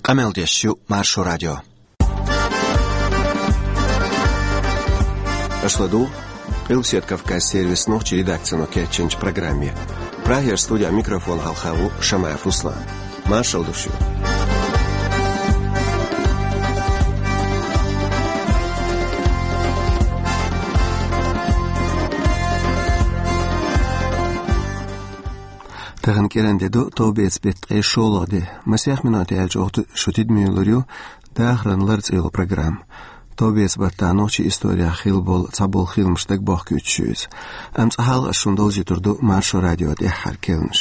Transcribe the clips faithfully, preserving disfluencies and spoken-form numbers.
Къамел деш ю Маршо радио. Аша ладугӀу Къилбаседа Кавказ сервисан нохчийн редакцино кечйинчу программе. Прагера студехь микрофон хьалха ву Шамаев Руслан. Маршалла ду шуьга. Тахана кӀиранде ду товбеца беттан ткъе шолгӀа де. Масех минот яьлча оха шу тидаме лур ю «Дахаран лар» цӀе йолу программа. Товбеца баттахь нохчийн исторехь хилла болу цхьаболу хиламаш дагабохкуьйтуш ю иза. Амма цкъа хьалха ас шуна довзуьйтур ду Маршо радион тӀаьххьара керланаш.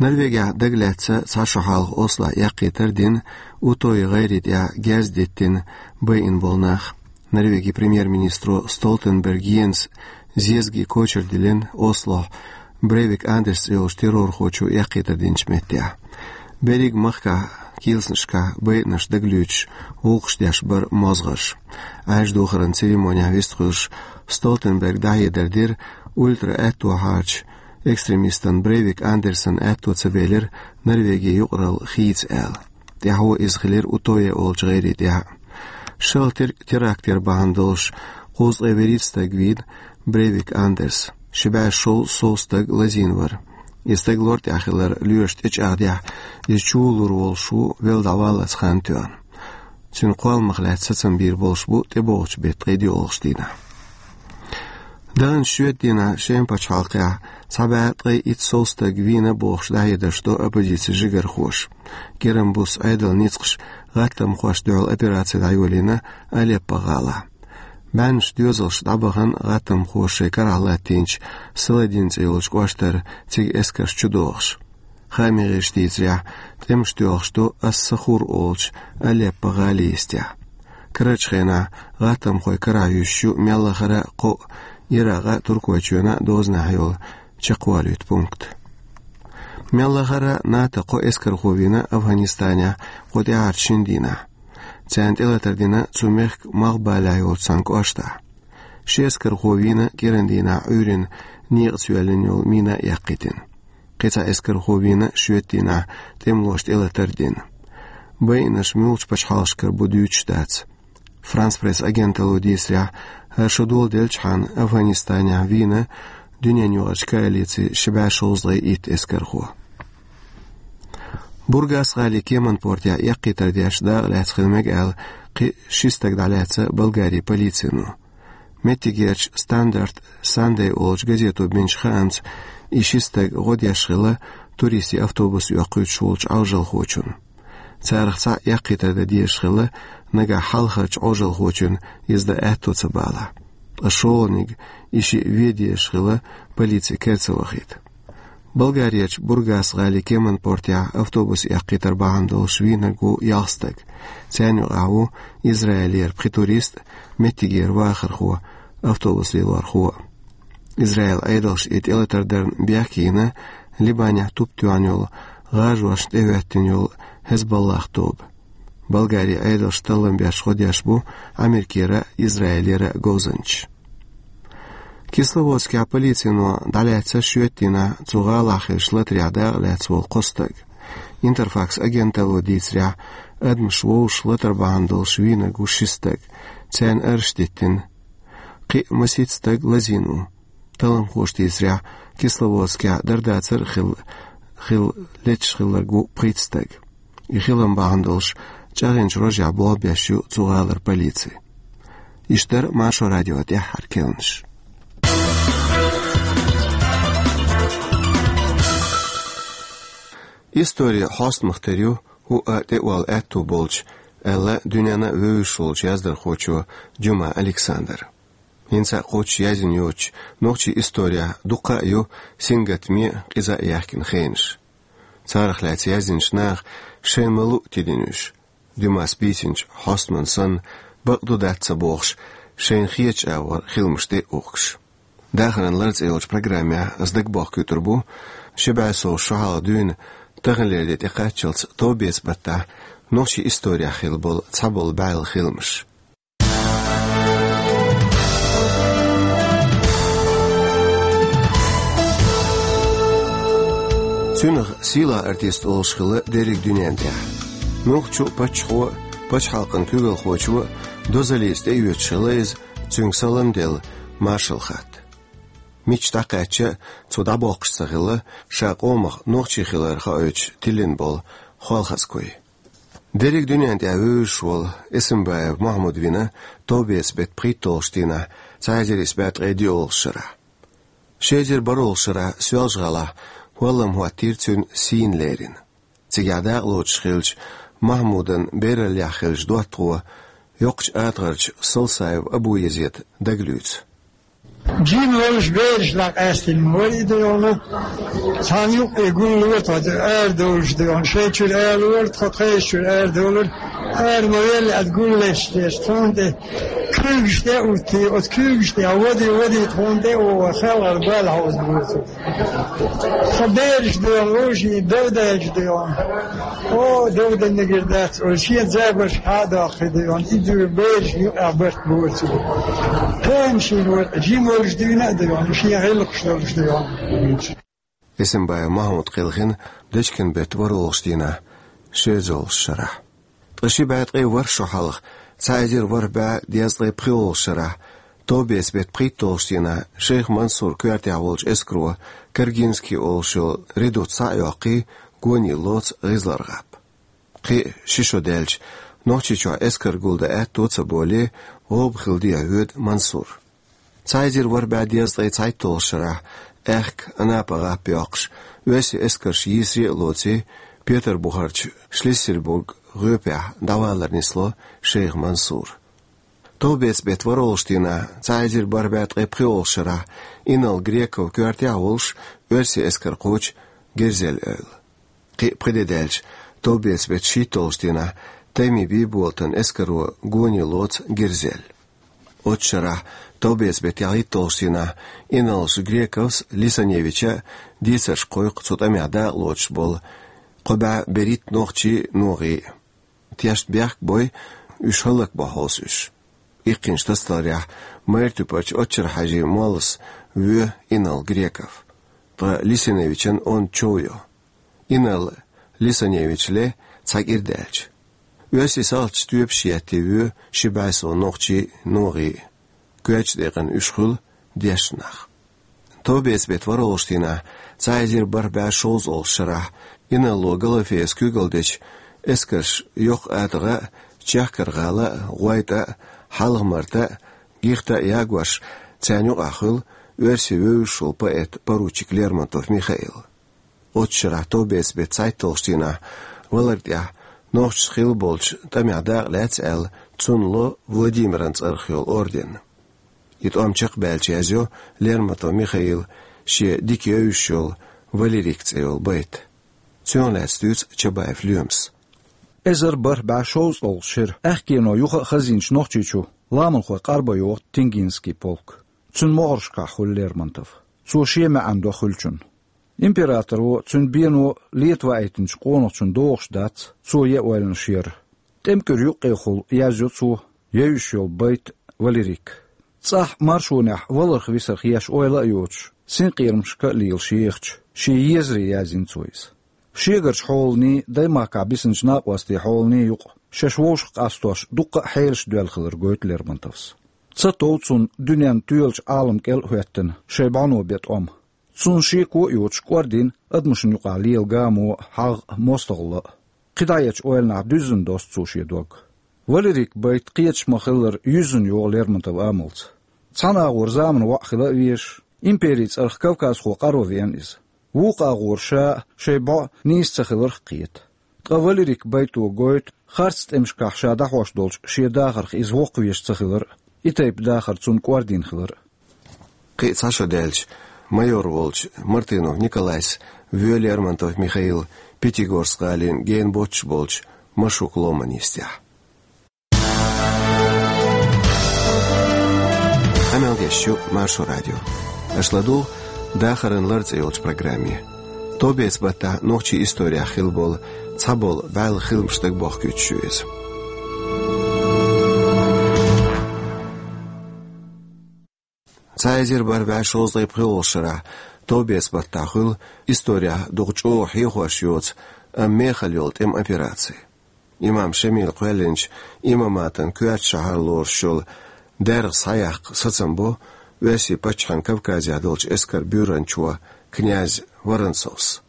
Норвегехь дагалаьцна цхьа шо хьалха Ослохь эккхийтар а дина, Утойн гӀайре тӀехь герз диттина байина болу нах. Норвегин премьер-министро Столтенберг Йенса зезагийн кочара диллина Ослохь Брейвик Андерс цӀе йолчу террорхочо эккхийтар динчу меттехь. Берриг махкахь килсанашкахь байинарш дагалуьйтуш, гӀуллакхаш деш бара мозгӀарш. Ӏаьржа духаран церемонехь вистхуьлуш, Столтенберга дӀахьедар дира ультра-аьтто хьарчу экстремистана Брейвик Андерсана аьтто ца белира Норвегин юкъаралла хийца аьлла. ТӀаьхьо иза хилира Утойн олучу гӀайре тӀехь. ШолгӀа тер-, теракт яр бахьана долуш кхузткъе вуьрхӀитта стаг вийна Брейвик Андерс. Ши бӀе шовзткъе сов стаг лазийна вара. И стаг лор тӀехь хилар лоьраша тӀечӀагӀдехь, иза чу лур волуш ву велла дӀаваллалц хан тоьхна. Цуьнан кхолламах лаьцна сацам бийр болуш бу тӀебогӀучу беттан ткъе доьалгӀачу дийнахь. Даханчу шоьтан дийнахь Шеман пачхьалкхехь цхьа бӀе ткъе итт сов стаг вийна бохуш дӀахьедарш до оппозицин жигархоша. КӀиран буса Ӏедалан ницкъаша гӀаттамхошна дуьхьал операци дӀайолийна Алеппо гӀалахь. БӀеннаш доьзалш дӀабахана гӀаттамхоша шайн карахь латтийначу Саладин цӀе йолчу кӀоштара, цига эскарш чу дохуш. Хаамийн гӀирсаша дийцарехь, тӀемаш тоьлхуш ду Ас-Сахур олучу Алеппо гӀалин йистехь. Карарчу хенахь гӀаттамхой карахь юьсуш ю мел лахара а кхоъ Иракъан а, Туркойчоьнан а дозанехь йолу чекхвалуьйту пункт. Мел лахара а НАТО кхо эскархо вийна Афганистанехь кху тӀаьххьарчу шина дийнахь. Царна тӀелатар дина цу мехкан малхбалехь йолчу цхьана кӀоштахь. Ши эскархо вийна кӀиран дийнахь Ӏуьйранна некъаца йоьллина йолу мина а эккхийтина. Кхин цхьа эскархо вийна шоьтан дийнахь тӀемалоша тӀелатар а дина. Байинарш муьлхачу пачхьалкхашкара бу дуьйцуш дац. Франс Пресс агенталло дийцарехь, хӀара шо доладелчхьана Афганистанехь вийна дуьненаюкъарчу коалицин ши бӀе шовзткъе итт эскархо. Бургас-гӀалин Кеман-Портехь эккхийтар деш дакъа лаьцна хила мега аьлла, кхин ши стаг дӀалаьцна Болгарин полицино. Меттигерчу Стандарт Сандей олучу газето бинчу хаамца, и ши стаг гӀо деш хилла туристийн автобус оьккхуьйтуш волчу Ӏалашонхочунна. Царах цхьаъ эккхийтар дан дезаш хилла, нагахь хьалхарчу Ӏалашонхочунна иза дан аьтто ца балахь. Ткъа шолгӀаниг, и шиъ, вен дезаш хилла полицин кара ца вахийта. Болгарерчу Бургас-гӀалин Кеман-Портехь автобус эккхийтар бахьана долуш вийнарг ву ялх стаг. Царна юкъахь ву Израилера пхи турист а, меттигера вахархо, автобус лелорхо а. Израилан Ӏедалша и тӀелатар дарна бехке йина Либанехь туп тоьхна йолу, гӀажошна тӀехӀоьттина йолу ХӀезболлах тоба. Болгарин Ӏедалша таллам беш гӀо деш бу Америкера а, Израилера а говзанчаш. Кисловодскехь полицино дӀалаьцна шоьтан дийнахь цу гӀалахь хиллачу латарехь дакъа лаьцна волу кхо стаг. Интерфакс агенталло дийцарехь, адамаш вовшах латар бахьана долуш вийнарг ву ши стаг. Царна арш диттина. Кхин а масийтта стаг лазийна ву. Талламхоша дийцарехь, Кисловодскехь дар-дацар а хилла, хилла леташ хилларг ву пхийтта стаг. И хилам бахьана долуш чӀагӀъяьллачу рожехь болх беш ю цу гӀалара полици. Иштта дара Маршо радион тӀаьххьара керланаш. Истори хьостамах тера ю хӀуъа тӀеола аьтту болчу, аьлла дуьненна а вевзаш волчу яздархочо Дюма Александра. ХӀинца а кхоччуш яздина йоцучу нохчийн исторехь дуккха а ю сингаттаме а, къиза а яьхкина хенаш. Царах лаьцна яздинчу наха шайн ма-луъу тидина уьш. Дюмас бийцинчу хьостаман санна, бакъду-дац ца бохуш, шайна хетачу агӀор хиламаш де а ухкуш. «Дахаран лар» цӀе йолчу программехь ас дагабохкуьйтур бу ши бӀе сов шо хьалха дуьйна, таханлера де тӀекхаччалц товбеца баттахь нохчийн исторехь хилла болу цхьаболу бӀаьлла хиламаш. Цунах сийлахь артист олуш хилла дерриг дуьнен тӀехь. Нохчо а, паччахьо а, пачхьалкхан куьйгалхочо а дозаллица тӀеоьцуш хилла иза, цуьнга салам делла, маршалла хатта. Мичча дӀакхаьчча а, цо дӀабоккхуш ца хилла ша къомах нохчи хилар хоуьйтуш тиллина болу Холхазкуй. Дерриг дуьнен тӀехь вевзаш волу Эсамбаев Махьмуд вина товбеца-беттан пхийтталгӀачу дийнахь, цхьа эзар исс бӀе ткъе диъолгӀачу шарахь. Ши эзар бархӀолгӀачу шарахь Соьлжа-ГӀалахь хӀолламхӀоттийра цуьнан сийна лерина. Цигахь дакъалоцуш хиллачу Махьмудан бераллехь хиллачу доттагӀо, йоккхачу атагӀарчу Солсаев Абу-Езеда дагалуьйцу. Жима волуш бераш дӀакъаьстина вара и дайна. Цхьана юккъе гуллора тхо, арадовлуш дайна. Шайн чуьра арадовлура, тхо тхайн чуьра арадовлура. Ара ма велла, аса гуллуш деш, тхуна тӀе куьйгаш тӀе а уьттий, оцу куьйгаш тӀе вади, вади тхуна тӀе а вогӀу, хелхар бала хьовза бу цо. Тхан бераш дайна, вовшийн дов даьлча дайна. О, дов дан мегар дац, о, шен забарш хьа а доккхий дайна, и дуьйна бераш юкъахь барт бора цо. Тамашийна вара, жима волуш дуьйна а дайна, шен гӀиллакхаш долуш дайна. Эсамбаев Махьмуд кхелхина дечкен-беттан ворхӀолгӀачу дийнахь, ши эзарлагӀчу шарахь. Ткъа ши бӀе ткъе ворхӀ шо хьалха, цхьа эзар ворхӀ бӀе дезткъе пхоьалгӀачу шарахь, товбеца-беттан пхийтталгӀачу дийнахь Шейх Мансуран коьртехь волчу эскаро Каргинский олуш йолу редут схьа а йоккхий, гонийла лоцу ГӀизлар-ГӀап. Кхин а ши шо даьлча, Нохчийчохь эскар гулдан аьтто а ца болий, гӀоба хила дехьа воьду Мансур. Цхьа эзар ворхӀ бӀе дезткъе цхьайтталгӀачу шарахь, аьхка Анапа-ГӀап йоккхуш, оьрсийн эскарш йийсаре а лоций, Петарбухарчу Шлиссельбург гӀопехь дӀавалар нисло Шейх Мансур. Товбеца-беттан ворхӀолгӀачу дийнахь, цхьа эзар бархӀ бӀе ткъе пхоьалгӀачу шарахь, инарла Греков коьртехь а волуш, оьрсийн эскар кхочу Герзель-Эвла. Кхин а пхи де даьлча, товбеца-беттан шийтталгӀачу дийнахь, Тайми Бийболатан эскаро гонийла лоцу Герзель. Оццу шарахь, товбеца-беттан ялхитталгӀачу дийнахь, инарлаша Грековс, Лисаневича дийцарш кхойкху цу тӀамехь дакъалоцуш болу кхо бӀе берхӀитта нохчий а, ногӀий а. Тешна бехк а бой, уьш хӀаллакбо хьовса уьш. Иккхинчу тасадаларехь, майра туьпарчу Оччар-Хьаьжин моллас воь инарла Греков, ткъа Лисаневичан онда чов йо. Инарла Лисаневич ле цхьа кӀира даьлча. Оьрсийн салташа тоьпаш еттий воь ши бӀе сов нохчий а, ногӀий а. Коьртачу декъана уьш хуьлу дешна нах. Товбеца-беттан ворхӀолгӀачу дийнахь, цхьа эзар бархӀ бӀе шовзткъалгӀачу шарахь, инарло Галафеяс куьйгалла дечу эскарша Йоккха АтагӀа а, Чехкар-ГӀала а, ГӀойтӀа а, Хьалха-Марта а, Гихта а ягош, царна юкъахь хуьлу оьрсийн вевзаш волу поэт, поручик Лермонтов Михаил. Оццу шарахь, товбеца-беттан цхьайтталгӀачу дийнахь, валар тӀехь, нохчашца хилла болчу тӀамехь дакъа лаьцна аьлла, цунна ло Владимиран цӀарах йолу орден. И тӀом чекхбаьлча, язйо Лермонтов Михаила шен дика евзаш йолу «Валерик» цӀе йолу байт. Цунах лаьцна дуьйцу Чабаев Лоьмас. Эзар бархӀ бӀе шовзткъалгӀачу шеран аьхкено юха а хазийначу Нохчийчу ламанхой къарбан йоху Тенгинский полк. Цуьнан могӀаршкахь хуьлу Лермонтов. Цо шен маьӀна до хуьлучун. Императоро, цуьнан бено лета ваийтинчу къонахчун догӀуш дац, цо ян ойланаш яр. ТӀемкуьра юккъехула язйо цо евзаш йолу байт «Валерик». ЦӀахь маршонехь валарх-висарх еш ойла а йоцуш, синкъерамашка а лелаш ехачу, шен езаре язйина цо иза. Шегарчу хьоланий, даймахкахь бисинчу накъостийн хьоланий юкъа, шаьш вовшах къастош, дуккха а хьелаш доьлла хилар гойту Лермонтовс. Ца тов цунна дуьненна тоьлучу Ӏалам кӀел а хӀоьттина, шайн бӀоно бен тӀом. Цунна шеко а йоцуш кӀордийна адамашна юкъахь лела гамо а, хьагӀ а, мостагӀалла а. КхидӀа ечу ойланахь дуьззина досту цо шен дог. «Валерик» байт кхеташ ма-хиллара юьззина йогӀу Лермонтовн амалца. Цхьана агӀор заманан воӀ хила а везаш, империн цӀарах кавказхо къаро веана иза. Вукху агӀор ша а, шайн бӀо а нийса ца хиларх а кхета. Ткъа «Валерик» байто гойту харц тӀемашкахь ша дӀахьош долчу шен дахарх иза воккхавеш ца хилар а, и тайпа дахар цунна кӀордийна хилар а. Кхин а цхьа шо даьлча, майор волчу Мартынов Николайс воь Лермонтов Михаил Пятигорск-гӀалин гена боццуш болчу Машук-Ломан йистехь. Къамел деш ю Маршо радио. Аша ладугӀу «Дахаран лар» цӀе йолчу программе. Товбеца баттахь нохчийн историяхь хилла болу цхьаболу бӀаьлла хиламаш дагабохкуьйтуш ю иза. Цхьа эзар бархӀ бӀе шовзткъе пхоьалгӀачу шарахь товбеца баттахь хуьлу историяхь дукха чӀогӀа хьехош йоцу, амма мехала йолу тӀеман операци. Имам Шамила кхоьллинчу имаматан коьрта шахьар лоруш йолу даьргӀа схьаяккха сацам бо Оьрсийн паччахьан Кавказехь долчу эскар буьйранчо князь Воронцовс.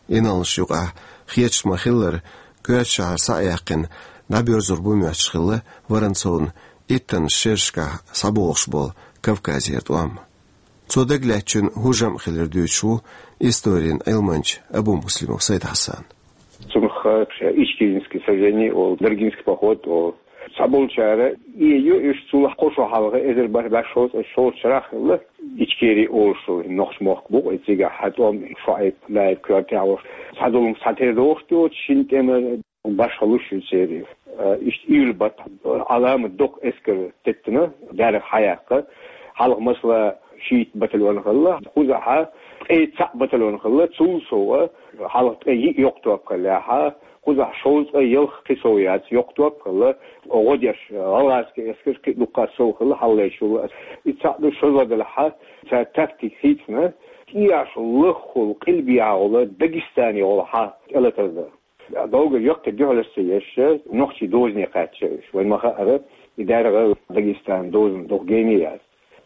Инарлаш юкъахь хеташ ма-хиллара, коьрта шахьар схьа а яьккхина, дӀабоьрзур бу моьттуш хилла Воронцовна иттаннаш шерашкахь схьабогӀуш болу Кавказера тӀом. Цо дагалаьцначун хӀун жамӀ хилира дуьйцуш ву историн Ӏилманча Абумуслимов Сайд-Хьасан. Цунах, э, Ичкеринский сражение олу, Даргинский поход олу. Цхьаболчара и ю, уьш цул кхо шо хьалха, эзар бархӀ бӀе шовзткъе шолгӀачу шарахь хилла, Ичкери олуш йолу нохчийн мохк бу-кх, и цигахь хьан тӀом Шуайб, Лаьйб коьртехь волуш. Цхьа зулам схьатера дохуш доцу шина тӀеман башхаллаш ю церан. Э, иштта июль баттахь, э, Ӏаламат доккха эскар теттина, даьргӀа схьаяккха. Хьалха, масала, шийтта батальон хилла, кхузахь ткъе цхьаъ батальон хилла, цул сов, хьалха ткъе йиъ йоккха топ хиллехь, кхузахь шовзткъе ялх, кхин сов яц, йоккха топ хилла, гӀо деш, гӀалгӀазский эскарш кхин а дуккха сов хилла, хьалхалерчул. И цхьаъ ду шозлагӀа делахь, цара тактика хийцина, тӀехьашха лаххула къилбехьа волу Дагестане волу хьан тӀелатар дан. Долгар яккхий дуьхьалаш ца еш, нохчийн дозане кхаьчна уьш. Вайн ма-хаъара, и даьргӀа Дагестанан дозанна дукха гене яц.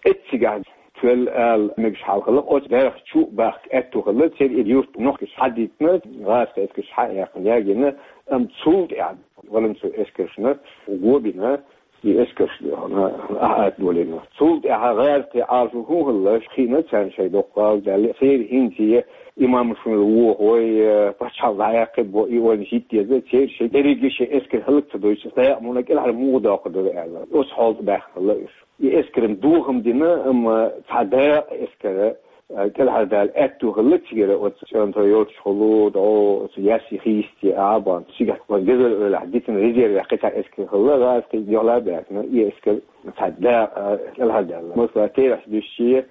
Эццигахь тоьлла ала мегаш хьал хилла, оцу даьргӀа чу а бахка аьтту хилла, церан и юрт нохчаша схьадитина, гӀазкхийн эскарша схьа а яьккхина, ягийна, амма цул тӀаьхьа Воронцовн эскаршна го бина, и эскарш ахьа ат долийна. Цул тӀаьхьа гӀазкхийн Ӏалашо хӀун хилла, хиъна царна шайн доккха гӀала даьлла, церан хӀинца имамаш вон вохой, пачхьалкх дӀаяккхий бо, и ойла йита деза, церан шайн дерриге шайн эскар хӀаллак ца дойтуш, дакъа муна кӀелхьара муха доккхур дара аьлла. Оцу хьолехь баьхна хилла уьш. И эскаран дохам дина, амма цхьа дакъа эскар, а, кӀелхьардала аьтту хилла цигара, оцу цӀонтара йолчухула, дӀо оцу яьсси хийсте а бан, цигахь оцу Гезар-Эвлахь дитина резервехь кхин цхьа эскар хилла, гӀазкхий дуьхьал а баьхкина, и эскар цхьа дакъа, а, кӀелхьардала. Масала, терахьчу дешче,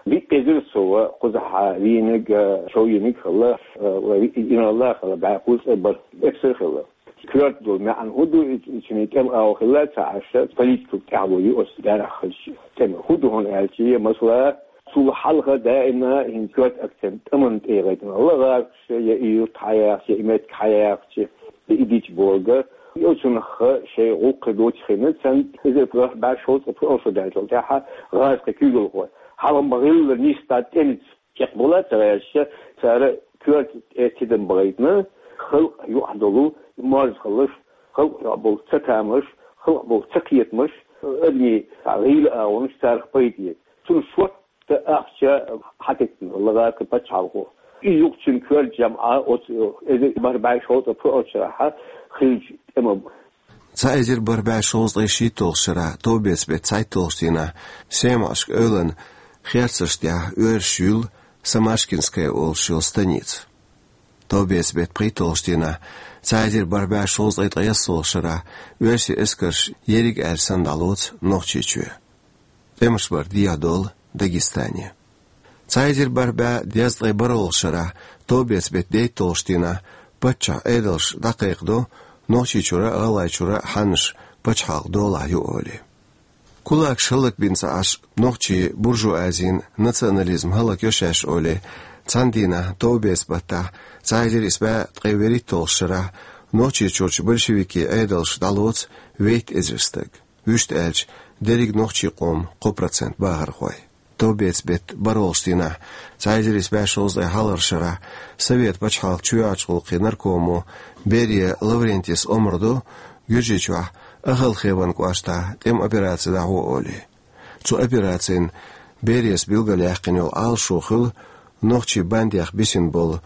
виъ эзар сов кхузахь вийнарг, а, шовйинарг хилла, а, виъ инарла хилла, бӀе кхузткъе бархӀ эпсар хилла. Коьрта долу маьӀна хӀун ду, и, и цуьнан тӀеман агӀо хилла ца Ӏаш, политикан тӀаьхьало ю оцу даьргӀа хилча. ТӀеман хӀун ду хьуна аьлча, масала, цул хьалха даима хӀинца коьрта акцент тӀеман тӀе яхийтина хилла гӀазкхаша, я и юрт схьаяьккхича, я и меттиг схьаяьккхича, я и дича бохург. И оцунах шайн гӀуллакх доцийна, цхьана эзар бархӀ бӀе шовзткъе пхоьалгӀа шо даьллачул тӀаьхьа гӀазкхийн куьйгалхой, хьалха ма-хиллара, нисдан тӀемаца чекхбуьйлла ца гӀерташ, цара коьрта тӀе тидам бахийтина, халкъан юкъахь долу морзхаллаш, халкъан юкъахь болу цатамаш, халкъан болу цакхетамаш, адамийн гӀийла агӀонаш царах пайда эца. Цунна шортта ахча хьатеттина гӀазкхийн пачхьалкхо. И юкъ цуьнан коьрта жамӀа оцу эзар бархӀ бӀе шовзткъе пхоьалгӀачу шарахь хиллачу тӀеман. Цхьа эзар бархӀ бӀе шовзткъе шийтталгӀачу шарахь товбеца беттан цхьайтталгӀачу дийнахь Семашка эвлана херцарш тӀехь оьрсаша юьллу Самашкинская олуш йолу станица. Товбеца беттан пхийтталгӀачу дийнахь, цхьа эзар бархӀ бӀе шовзткъе ткъайоьсналгӀачу шарахь, оьрсийн эскарш ерриг аьлла санна дӀалоцу Нохчийчоь. ТӀемаш бар дехьадолу Дагестане. Цхьа эзар бархӀ бӀе дезткъе бархӀалгӀачу шарахь, товбеца беттан дейтталгӀачу дийнахь, паччахьан Ӏедалша дӀакхайкхадо Нохчийчуьра а, ГӀалгӀайчуьра а хьаннаш пачхьалкхан долахь ю олий. Кулакаш хӀаллакбина ца Ӏаш, нохчийн буржуазин национализм хӀаллакйо шаьш олий, цхьана дийнахь, товбеца баттахь, цхьа эзар исс бӀе ткъе вуьрхӀитталгӀачу шарахь, Нохчийчуьрчу большевикийн Ӏедалша дӀалоцу вейтта эзар стаг. Вуьшта аьлча, дерриг нохчийн къоман кхо процент бахархой. Товбеца беттан бархӀалгӀачу дийнахь, цхьа эзар исс бӀе шовзткъе хьалхарчу шарахь, Совет пачхьалкхан чоьхьарчу гӀуллакхийн наркомо Берия Лаврентис омра до Гуьржийчохь Ахалхеван кӀоштахь тӀеман операци дӀахьо олий. Цу операцина Берияс билгалъяьккхина йолу Ӏалашо хилла нохчийн бандех бисина болу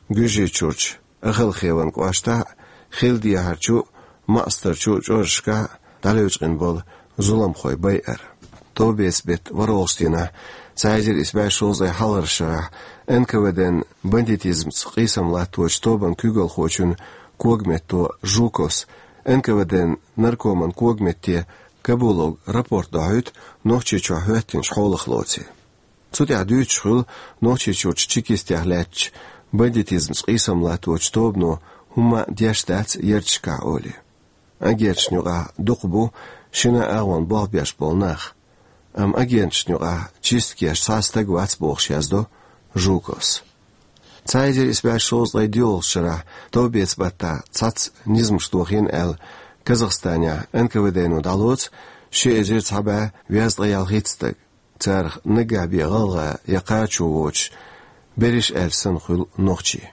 Гуьржийчуьрчу Ахалхеван кӀоштахь а, хила дехьарчу а, маӀстарчу а чӀожашкахь а дӀалечкъина болу зуламхой байар. Товбеца беттан ворхӀалгӀачу дийнахь, цхьа эзар исс бӀе шовзткъе хьалхарчу шарахь, Н К В Д-н бандитизмца къийсам латточу тобан куьйгалхочун когаметто Жуковс Н К В Д-н наркоман когаметте Кабуловга рапорт дохьуьйту Нохчийчохь хӀоьттинчу хьолах лоций. Цу тӀехь дуьйцуш хуьлу Нохчийчуьрчу чекистех лаьттачу бандитизмца къийсам латточу тобано хӀумма а деш дац ярташкахь олий. Агенташна юкъахь дукха бу шина агӀонна болх беш болу нах, амма агенташна юкъахь чисткеш цхьа а стаг вац бохуш яздо Жуковс. Цхьа эзар исс бӀе шовзткъе диълагӀча шарахь товбеца баттахь цхьацца низамаш дохийна аьлла, Казахстанехь Н К В Д-но дӀалоцу ши эзар цхьа бӀе везткъе ялхитта стаг. Царах наггахь бен гӀалгӀа я кхачо воцуш, берриш аьлча санна хуьлу нохчий.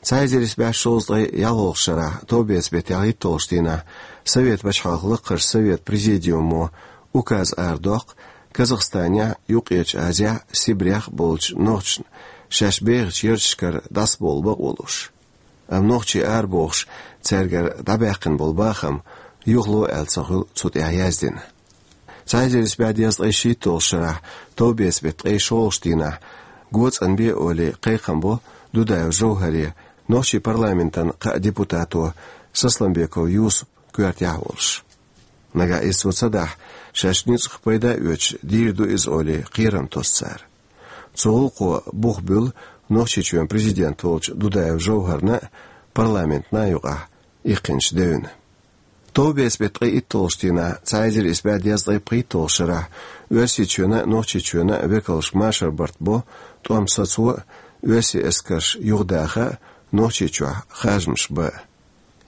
Цхьа эзар исс бӀе шовзткъе ялхолгӀачу шарахь товбеца беттан ялхитталгӀачу дийнахь Совет пачхьалкхан лакхарчу Совет президиумо указ арадоккху Казахстанехь, Юккъерчу Азехь, Сибрехь болчу нохчашна шаьш бехачу ярташкара дӀасабовла бакъо луш. Амма нохчий арабохуш, цаьргара дӀабаьккхина болу бахам юхало аьлла ца хуьлу цу тӀехь яздина. Цхьа эзар исс бӀе дезткъе шийтталгӀачу шарахь товбеца беттан ткъе шолгӀачу дийнахь го цӀанбе олий кхайкхам бо Дудаев Жовхьаре, нохчийн парламентан кхаа депутато Сосланбеков Юсупа коьртехь а волуш. Нагахь иза цо ца дахь, шаьш ницкъах пайда а оьцуш, дийр ду иза олий кхерам тосу цара. Цу гӀуллакхо бух буьллу Нохчийчоьнан президент волчу Дудаев Жовхьарна а, парламентана а юкъахь иккхинчу девна. Товбеца беттан ткъе итталгӀачу дийнахь, цхьа эзар исс бӀе дезткъе пхийтталгӀачу шарахь, Оьрсийчоьнан а, Нохчийчоьнан а векалш машар барт бо, тӀом сацо а, оьрсийн эскарш юхадаха а, Нохчийчохь харжамаш бан а.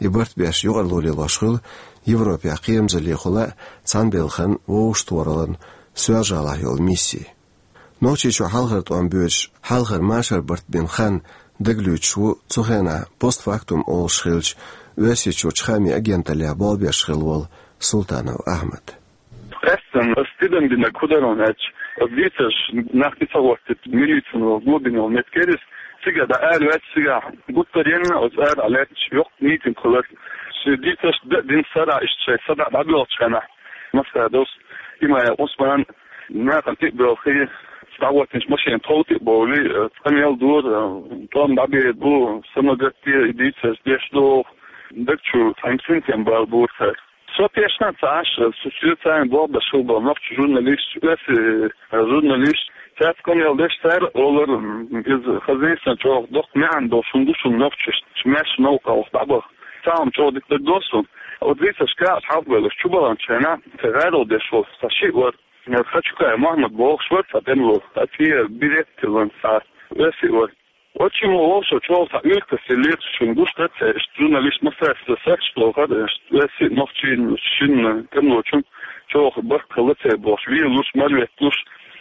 И барт беш юкъарло лелош хуьлу Европехь кхерамзаллехула а, цхьаьнабелхан вовшахтохараллан Соьлжа-ГӀалахь йолу мисси. Нохчийчохь хьалхара тӀом боьдуш, хьалхара машар барт бина хан дагалуьйчуш ву цу хенахь постфактум олуш хиллачу Оьрсийчуьрчу хаамийн агенталлехь болх беш хилла волу Султанов Ахьмад. Къаьсттина ас тидам динарг хӀун дара аьлча, ас дийцарш нах тӀе ца гӀоттийта, милицина вала го бина йолу меттиг яра иза. Цига дӀа ара ваьлча, цигахь гуттар а енна, ас ара дӀалаьтташ йоккха митинг хилира. Шен дийцарш дан а дина, сарахь иштта шайн сарахь дӀабоьлхучу хенахь, Масхадовс, Имаев Ӏусман, нахана тӀе а боьлхий, дӀагӀоттийначу машенан тхов тӀе а бовлий, къамел дора, тӀом дӀабер бу, самагатде и дийцарш деш догӀу, даг чу цхьа инцидент бала бора цара. Со тешна ца Ӏаш, со соьца болх беш хилла болу нохчийн журналисташ, оьрсийн журналисташ, цаьрца къамел деш цара олар, иза хаза нийса чӀогӀа доккха маьӀна долуш хӀума ду шуна нохчашна, шун маьрша новкъа ваха дӀабаха. Цхьа хӀума чӀогӀа дика дагадогӀу суна. Оцу дийцаршкахь ас хьалхабевлларш чу баханчу хенахь, цхьа гӀарол деш волу цхьа шиъ вара, Хачукаев Мохьмад бохуш вара цхьа тӀемало, цхьа цӀера берет а тиллина цхьа оьрсиъ вара. Оцу шиммо вовшо чӀогӀа цхьа уьйртас еллера цу шимма, гуш дара церан, иштта журналист массаьрца сахьташ дохара, иштта оьрсийн, нохчийн шинна тӀемалочун чӀогӀа барт хилла церан бохуш, велуш, марветталуш.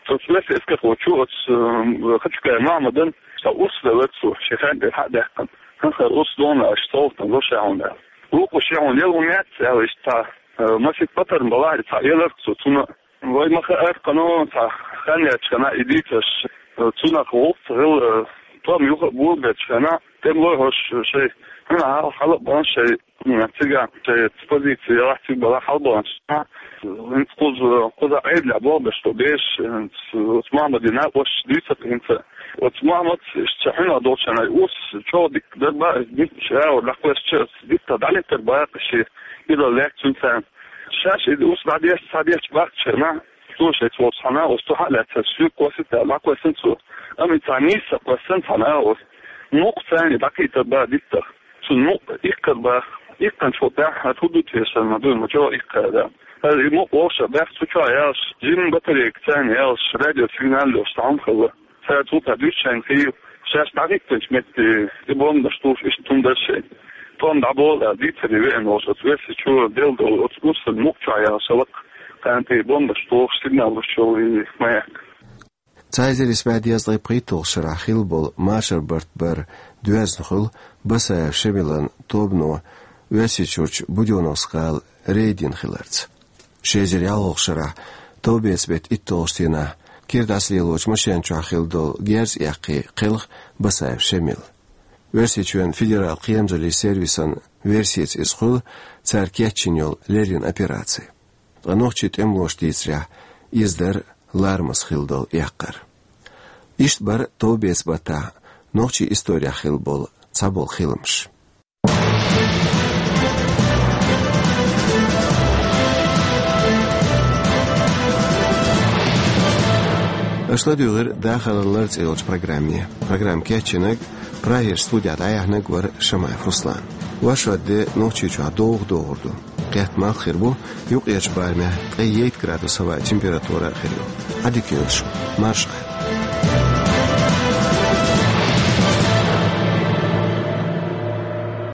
Оцу оьрсийн эскархочо оцу, м, Хачукаев Мохьмадан цхьа урс велира цо, шен хенахь тӀера хьа а даьккхина. ХӀинца хӀара урс догӀу аша совгӀатана ло ша хьуна аьлла. Вукхо шен хьуна елла хӀума яц аьлла, иштта цхьа, э, масех патарма балахь а цхьа елира цо цунна. Вай ма хаьара кхано, цхьа хан яьлча хенахь и дийцарш, э, цунах гӀуллакх ца хилла, э, тӀом юха а болабелча хенахь, тӀемалой хӀорш шайн хьуна хьал-, хьала а бахана шайн, м, цигахь шайн позици ялахь цига балахь хьалабаханчу хенахь, хӀинца кхуза, кхузахь Ӏедалехь болх беш долу бераш, хӀинца оцу Мохьмадан накъосташа дуьйцура хӀинца. Оцу Мохьмада иштта шен хьуьнах долчу хенахь и урс чӀогӀа дика дара боху, иза дитта ша а вара дӀакхоьссича, иза дитта дӀалиттара боху шен, иза лаьцна цуьнан царна. Шаьш иза урс дӀадеш, схьадечу бахчахьана, цо шайца волчу цхьана, оцу тӀе хьа а лаьцна, соьга кхоссийта аьлла, дӀакхоьссина цо. Амма иза цхьа нийса кхоьссина цхьана а оцу. Мукъа царна и дӀакхийтар боху диттах. Цунна мукъа иккхар боху. Иккханчул тӀаьхьа хӀара хӀун ду те сан ма дуй, ма чӀогӀа иккхара. ХӀара и мукъа вовшах баьхна цу чохь яьлча, жимма батарейка царна яьлча, радиосигнал йолуш цхьа хӀума хилла. Цара цул тӀаьхьа дуьйцу шайна хийла, шаьш дӀахӀиттинчу метте и бомбанаш тухуш иштта хӀума дара шайна. ТӀом дӀаболу аьлла, дийцаре веана волуш оцу Оьрсийчоь делла долу оцу урсан мукъа чохь яьлла шалакъ, кхана тӀе и бомбанаш тухуш сигнал луш йолу и маяк. Цхьа эзар исс бӀе дезткъе пхийтталгӀачу шарахь хилла болу машар барт бар доьзна хуьлу Басаев Шемилан тобано Оьрсийчуьрчу Будённовск-гӀала рейд йина хиларца. Ши эзар ялхолгӀачу шарахь товбеца беттан итталгӀачу дийнахь кира дӀасалелочу машен чохь хилла долу герз эккхий кхелха Басаев Шемил. Оьрсийчоьнан федералан кхерамзаллин сервисан версица иза хуьлу цара кечйина йолу леррина операци. Ткъа нохчийн тӀемалоша дийцарехь, иза дара ларамаза хилла долу эккхар. Иштта бара товбеца баттахь нохчийн исторехь хилла болу цхьаболу хиламаш. Аша ладуьйгӀира «Дахаран лар» цӀе йолчу программе. Программа кечйинарг, Прагерчу студехь дӀаяьхьнарг вара Шамаев Руслан. Вайшин де Нохчийчохь довха догӀур ду. Кхетта малх хир бу, юккъерчу барамехь ткъе ейтта градус хӀаваан температура а хир ю. Ӏадика йойла шун. Марша Ӏа.